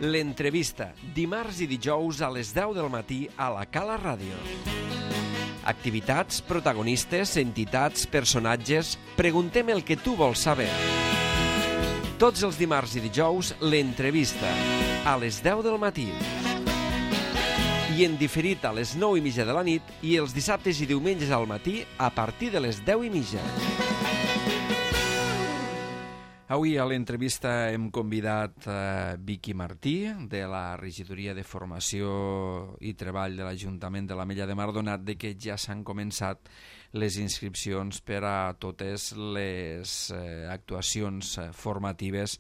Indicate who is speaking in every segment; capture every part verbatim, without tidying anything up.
Speaker 1: L'entrevista, dimarts i dijous a les deu del matí a la Cala Ràdio. Activitats, protagonistes, entitats, personatges... Preguntem el que tu vols saber. Tots els dimarts i dijous, l'entrevista, a les deu del matí. I en diferit a les nou i mitja de la nit i els dissabtes i diumenges al matí a partir de les deu i mitja. Avui a l'entrevista hem convidat a Vicky Martí, de la Regidoria de Formació i Treball de l'Ajuntament de l'Ametlla de Mar, donat de que ja s'han començat les inscripcions per a totes les eh, actuacions formatives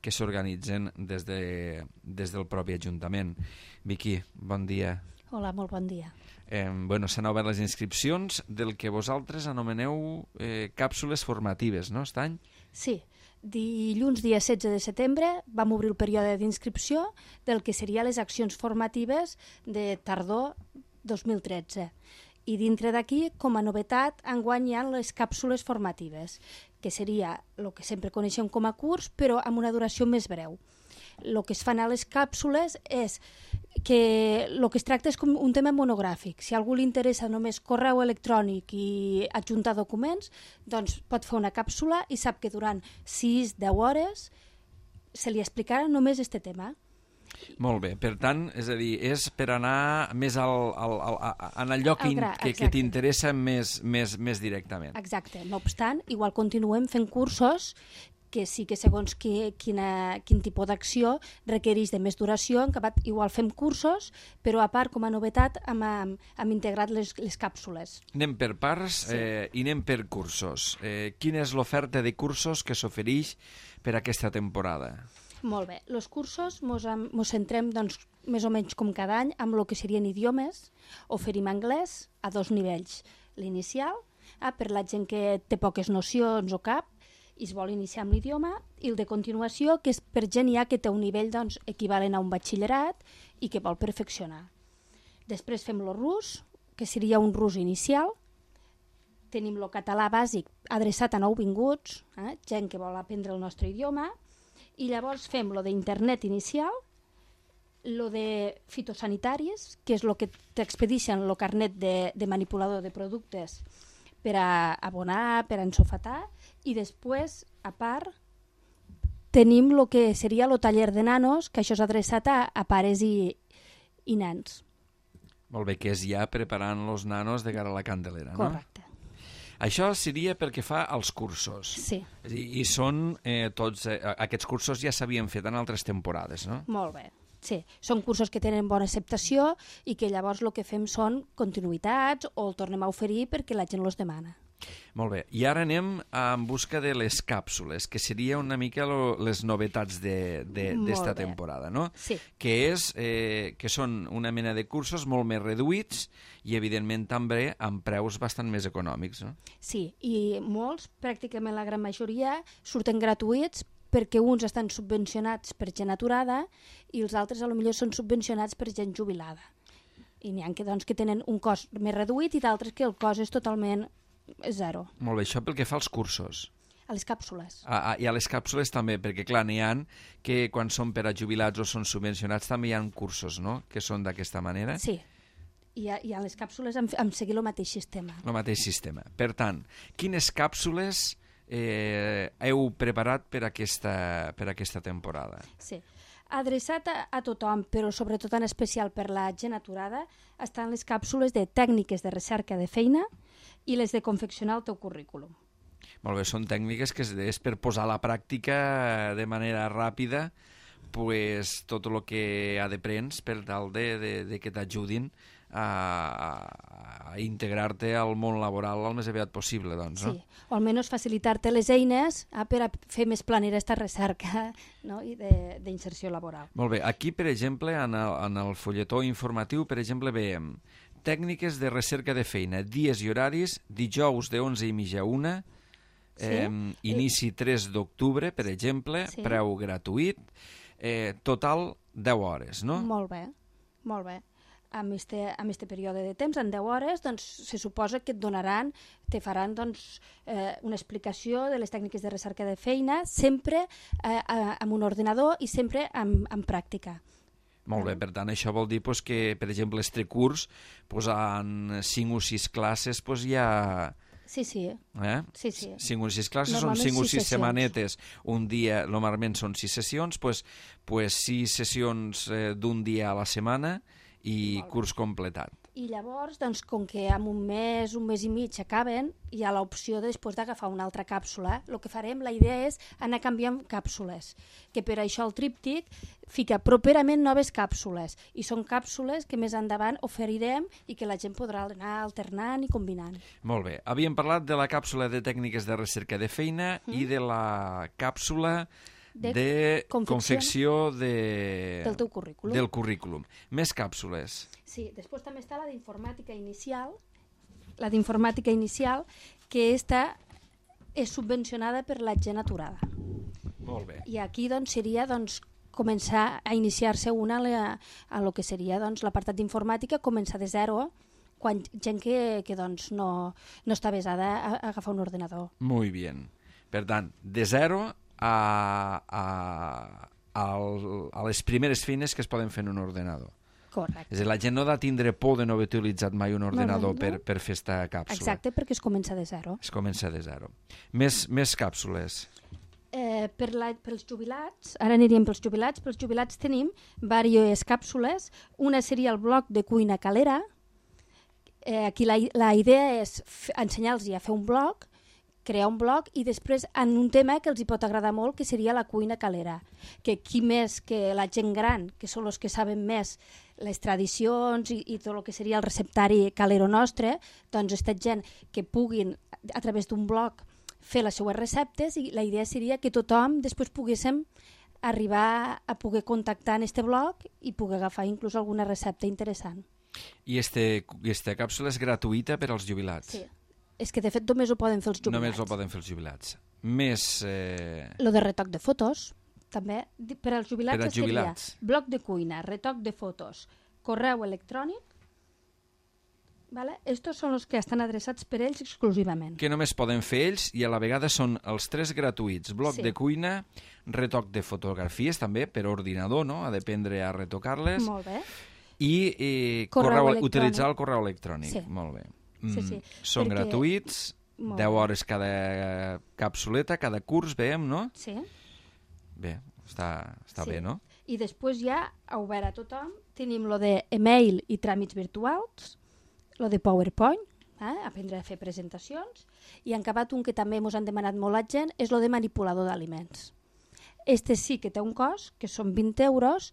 Speaker 1: que s'organitzen des, de, des del propi Ajuntament. Vicky, bon dia.
Speaker 2: Hola, molt bon dia.
Speaker 1: Eh, bueno, s'han obert les inscripcions del que vosaltres anomeneu eh, càpsules formatives, no, aquest any?
Speaker 2: Sí. Dilluns, dia setze de setembre, vam obrir el període d'inscripció del que serien les accions formatives de tardor dos mil tretze. I dintre d'aquí, com a novetat, enguany hi ha les càpsules formatives, que seria el que sempre coneixem com a curs, però amb una duració més breu. El que es fan a les càpsules és que el que es tracta és com un tema monogràfic. Si a algú li interessa només correu electrònic i adjuntar documents, doncs pot fer una càpsula i sap que durant sis a deu hores se li explicarà només aquest tema.
Speaker 1: Molt bé, per tant, és a dir, és per anar més al, al, al, en allò que,
Speaker 2: gra,
Speaker 1: que, que t'interessa més, més, més directament.
Speaker 2: Exacte. No obstant, igual continuem fent cursos que sí que segons qui, quina, quin tipus d'acció requereix de més duració, en acabat igual fem cursos, però a part, com a novetat, hem, hem integrat les, les càpsules.
Speaker 1: Anem per parts sí. eh, i anem per cursos. Eh, quina és l'oferta de cursos que s'ofereix per aquesta temporada?
Speaker 2: Molt bé. Els cursos mos, mos centrem doncs, més o menys com cada any amb el que serien idiomes. Oferim anglès a dos nivells. L'inicial, ah, per la gent que té poques nocions o cap, i es vol iniciar amb l'idioma, i el de continuació, que és per gent ja que té un nivell doncs, equivalent a un batxillerat i que vol perfeccionar. Després fem el rus, que seria un rus inicial. Tenim el català bàsic adreçat a nouvinguts, eh, gent que vol aprendre el nostre idioma, i llavors fem lo d'internet inicial, lo de fitosanitaris, que és el que t'expedixen el carnet de, de manipulador de productes per a abonar, per a ensofatar, i després, a part, tenim el que seria el taller de nanos, que això és adreçat a, a pares i, i nens.
Speaker 1: Molt bé, que és ja preparant els nanos de cara a la Candelera, no?
Speaker 2: Correcte.
Speaker 1: Això seria pel que fa als cursos.
Speaker 2: Sí.
Speaker 1: I, i són eh, tots, eh, aquests cursos ja s'havien fet en altres temporades, no?
Speaker 2: Molt bé. Sí, són cursos que tenen bona acceptació i que llavors el que fem són continuïtats o el tornem a oferir perquè la gent els demana.
Speaker 1: Molt bé, i ara anem en busca de les càpsules, que seria una mica lo, les novetats d'esta temporada, no?
Speaker 2: Sí.
Speaker 1: Que, és, eh, que són una mena de cursos molt més reduïts i, evidentment, també amb preus bastant més econòmics, no?
Speaker 2: Sí, i molts, pràcticament la gran majoria, surten gratuïts perquè uns estan subvencionats per gent aturada i els altres potser són subvencionats per gent jubilada. I n'hi ha que, doncs, que tenen un cost més reduït i d'altres que el cost és totalment zero.
Speaker 1: Molt bé, això pel que fa als cursos.
Speaker 2: A les càpsules.
Speaker 1: Ah, ah, I a les càpsules també, perquè clar, n'hi ha que quan són per a jubilats o són subvencionats també hi ha cursos, no?, que són d'aquesta manera.
Speaker 2: Sí, i a, i a les càpsules hem, hem seguit el mateix sistema.
Speaker 1: El mateix sistema. Per tant, quines càpsules eh, heu preparat per aquesta, per aquesta temporada?
Speaker 2: Sí. Adreçat a, a tothom, però sobretot en especial per la gent aturada, estan les càpsules de tècniques de recerca de feina i les de confeccionar el teu currículum.
Speaker 1: Molt bé, són tècniques que és per posar a la pràctica de manera ràpida pues, tot el que ha d'aprens per tal de, de, de que t'ajudin a, a integrar-te al món laboral el més aviat possible, doncs, no?
Speaker 2: Sí, o almenys facilitar-te les eines eh, per a fer més planera aquesta recerca, no?, i d'inserció laboral.
Speaker 1: Molt bé, aquí, per exemple, en el, en el folletó informatiu, per exemple, veiem tècniques de recerca de feina, dies i horaris, dijous de onze i mitja a una,
Speaker 2: sí?
Speaker 1: eh, inici tres d'octubre, per exemple, sí. Preu gratuït, eh, total deu hores, no?
Speaker 2: Molt bé, molt bé. amb este, amb este període de temps, en deu hores, doncs se suposa que et donaran, te faran doncs, eh, una explicació de les tècniques de recerca de feina, sempre eh, amb un ordinador i sempre amb, amb pràctica.
Speaker 1: Molt bé, per tant, això vol dir pues, que, per exemple, este curs, pues, en cinc o sis classes, pues, ja...
Speaker 2: Sí, sí.
Speaker 1: Eh?
Speaker 2: sí, sí.
Speaker 1: cinc o sis classes són cinc o sis setmanetes, un dia, normalment són sis sessions, pues, pues sis sessions eh, d'un dia a la setmana i curs completat.
Speaker 2: I llavors, doncs, com que en un mes, un mes i mig acaben, hi ha l'opció de, després d'agafar una altra càpsula. El que farem, la idea és anar canviant càpsules, que per això el tríptic fica properament noves càpsules, i són càpsules que més endavant oferirem i que la gent podrà anar alternant i combinant.
Speaker 1: Molt bé. Havíem parlat de la càpsula de tècniques de recerca de feina mm. i de la càpsula de, de confecció, confecció de...
Speaker 2: del teu currículum.
Speaker 1: Del currículum. Més càpsules.
Speaker 2: Sí, després també està la d'informàtica inicial, la d'informàtica inicial, que esta és subvencionada per la gent aturada.
Speaker 1: Molt bé.
Speaker 2: I aquí doncs, seria doncs, començar a iniciar-se una a, la, a lo que seria doncs, l'apartat d'informàtica, començar de zero, quan gent que, que doncs, no, no està avesada a, a agafar un ordenador.
Speaker 1: Muy bien. Per tant, de zero a, a, a, a les primeres feines que es poden fer en un ordenador.
Speaker 2: Correcte.
Speaker 1: És a dir, la gent no ha de tindre por de no haver utilitzat mai un ordenador no, no, no. Per, per fer esta càpsula.
Speaker 2: Exacte, perquè es comença de zero.
Speaker 1: Es comença de zero. Més, més càpsules.
Speaker 2: Eh, per la, pels jubilats, ara aniríem pels jubilats, pels jubilats tenim diverses càpsules. Una seria el bloc de cuina calera. Eh, aquí la, la idea és ensenyar-los a fer un bloc, crear un blog i després en un tema que els hi pot agradar molt, que seria la cuina calera. Que qui més que la gent gran, que són els que saben més les tradicions i, i tot el que seria el receptari calero nostre, doncs aquesta gent que puguin, a través d'un blog, fer les seues receptes, i la idea seria que tothom després poguéssim arribar a poder contactar en este blog i poder agafar inclús alguna recepta interessant.
Speaker 1: I este, esta càpsula és gratuïta per als jubilats?
Speaker 2: Sí. És que, de fet, només ho poden fer els jubilats.
Speaker 1: Només ho poden fer els jubilats. Més... Eh...
Speaker 2: Lo de retoc de fotos, també. Per als jubilats,
Speaker 1: per als jubilats.
Speaker 2: Seria bloc de cuina, retoc de fotos, correu electrònic. Vale? Estos són els que estan adreçats per ells exclusivament.
Speaker 1: Que només poden fer ells i a la vegada són els tres gratuïts. Bloc sí. de cuina, retoc de fotografies també, per ordinador, no? Ha d'aprendre a retocar-les.
Speaker 2: Molt bé.
Speaker 1: I eh, correu correu, utilitzar el correu electrònic.
Speaker 2: Sí.
Speaker 1: Molt bé.
Speaker 2: Sí, sí.
Speaker 1: Són
Speaker 2: Perquè...
Speaker 1: gratuïts, deu hores cada capsuleta, cada curs, veiem, no?
Speaker 2: Sí.
Speaker 1: Bé, està, està
Speaker 2: sí.
Speaker 1: bé, no?
Speaker 2: I després ja, a obert a tothom, tenim lo de email i tràmits virtuals, lo de PowerPoint, eh? Aprendre a fer presentacions, i en acabat un que també ens han demanat molt la gent, és lo de manipulador d'aliments. Este sí que té un cost, que són vint euros,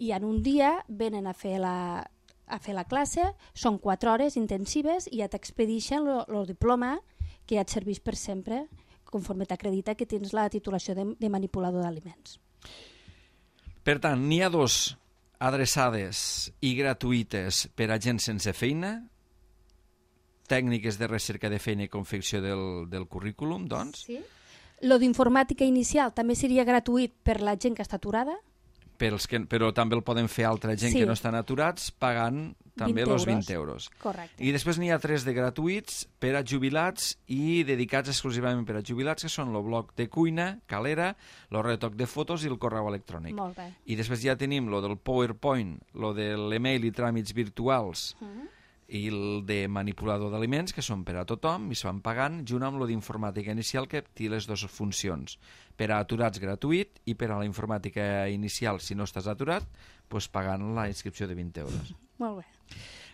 Speaker 2: i en un dia venen a fer la... a fer la classe, són quatre hores intensives i ja t'expedixen el diploma que ja et serveix per sempre, conforme t'acredita que tens la titulació de, de manipulador d'aliments.
Speaker 1: Per tant, n'hi ha dos adreçades i gratuïtes per a gent sense feina, tècniques de recerca de feina i confecció del, del currículum, doncs.
Speaker 2: Sí. Lo d'informàtica inicial també seria gratuït per la gent que està aturada,
Speaker 1: Per els que, però també el poden fer altra gent sí. que no estan aturats pagant també els vint euros.
Speaker 2: Correcte.
Speaker 1: I després n'hi ha tres de gratuïts per a jubilats i dedicats exclusivament per a jubilats, que són el bloc de cuina, calera, el retoc de fotos i el correu electrònic.
Speaker 2: Molt bé.
Speaker 1: I després ja tenim lo del PowerPoint, lo de l'email i tràmits virtuals, uh-huh. i el de manipulador d'aliments, que són per a tothom i es van pagant, junt amb lo d'informàtica inicial, que té les dues funcions. Per a aturats gratuït i per a la informàtica inicial, si no estàs aturat, pues, pagant la inscripció de vint euros.
Speaker 2: Molt bé.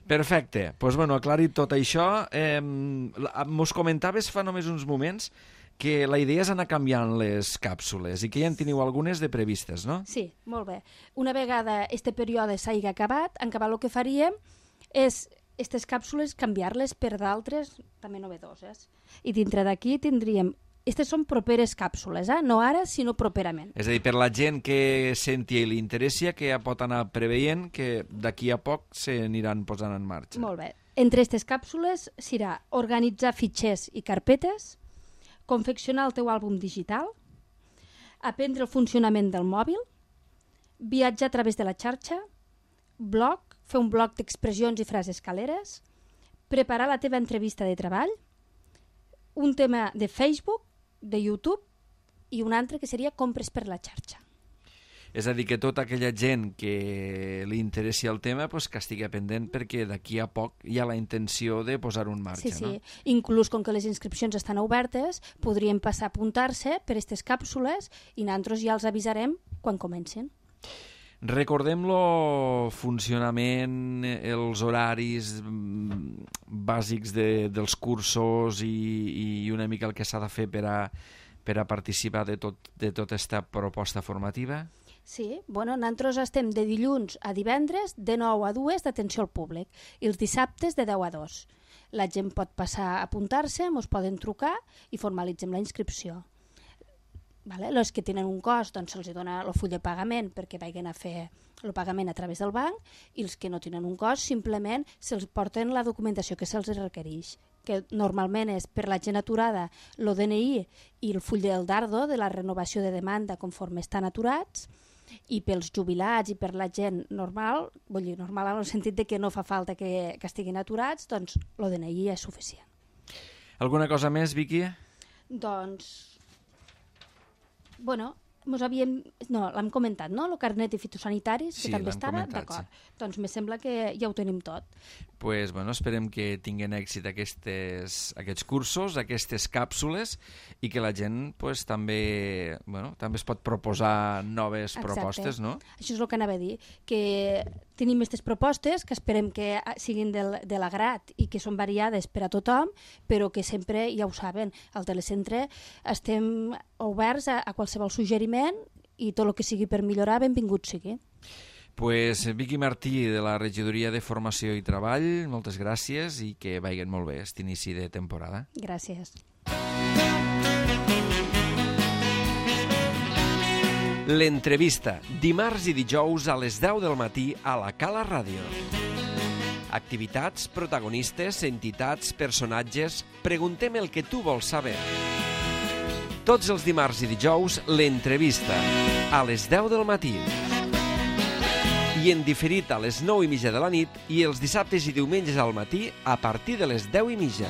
Speaker 1: Perfecte. Pues, bueno, aclarit tot això, eh, mos comentaves fa només uns moments que la idea és anar canviant les càpsules i que ja en teniu algunes de previstes, no?
Speaker 2: Sí, molt bé. Una vegada este període s'hagi acabat, en acabar el que faríem és aquestes càpsules canviar-les per d'altres també novedoses. I dintre d'aquí tindríem... Aquestes són properes càpsules, eh? No ara, sinó properament.
Speaker 1: És a dir, per la gent que senti i li interessi, que ja pot anar preveient que d'aquí a poc se n'aniran posant en marxa.
Speaker 2: Molt bé. Entre aquestes càpsules serà organitzar fitxers i carpetes, confeccionar el teu àlbum digital, aprendre el funcionament del mòbil, viatjar a través de la xarxa, blog, fer un bloc d'expressions i frases caleres, preparar la teva entrevista de treball, un tema de Facebook, de YouTube i un altre que seria compres per la xarxa.
Speaker 3: És a dir, que tota aquella gent que li interessi el tema pues, que estigui pendent perquè d'aquí a poc hi ha la intenció de posar-ho en marxa.
Speaker 2: Sí, sí.
Speaker 3: No?
Speaker 2: Inclús com que les inscripcions estan obertes, podrien passar a apuntar-se per aquestes càpsules i nosaltres ja els avisarem quan comencin.
Speaker 3: Recordem-lo funcionament, els horaris bàsics de, dels cursos i, i una mica el que s'ha de fer per a, per a participar de tot, de tota aquesta proposta formativa?
Speaker 2: Sí, bueno, nosaltres estem de dilluns a divendres de nou a dues d'atenció al públic i els dissabtes de deu a dos. La gent pot passar a apuntar-se, ens poden trucar i formalitzem la inscripció. Vale? Els que tenen un cost doncs se'ls dona el full de pagament perquè vagin a fer el pagament a través del banc i els que no tenen un cost simplement se'ls porten la documentació que se'ls requereix, que normalment és per la gent aturada l'O D N I i el full del dardo de la renovació de demanda conforme estan aturats, i pels jubilats i per la gent normal, vull dir normal en el sentit de que no fa falta que, que estiguin aturats, doncs l'O D N I és suficient.
Speaker 3: Alguna cosa més, Vicky?
Speaker 2: Doncs bueno, mos havíem... No, l'hem comentat, no? El carnet de fitosanitaris,
Speaker 3: sí,
Speaker 2: que també estava,
Speaker 3: comentat,
Speaker 2: d'acord.
Speaker 3: Sí.
Speaker 2: Doncs me sembla que ja ho tenim tot.
Speaker 3: Pues, bueno, esperem que tinguin èxit aquestes, aquests cursos, aquestes càpsules, i que la gent pues, també, bueno, també es pot proposar noves
Speaker 2: Exacte.
Speaker 3: Propostes, no?
Speaker 2: Això és el que anava a dir, que tenim aquestes propostes que esperem que siguin del, de l'agrat i que són variades per a tothom, però que sempre, ja ho saben, al telecentre estem oberts a, a qualsevol suggeriment i tot el que sigui per millorar, benvingut sigui.
Speaker 3: Pues Vicky Martí, de la Regidoria de Formació i Treball, moltes gràcies i que vagin molt bé aquest inici de temporada.
Speaker 2: Gràcies.
Speaker 1: L'entrevista, dimarts i dijous a les deu del matí a la Cala Ràdio. Activitats, protagonistes, entitats, personatges... Preguntem el que tu vols saber. Tots els dimarts i dijous, l'entrevista, a les deu del matí. I en diferit a les nou i mitja de la nit i els dissabtes i diumenges al matí a partir de les deu i mitja.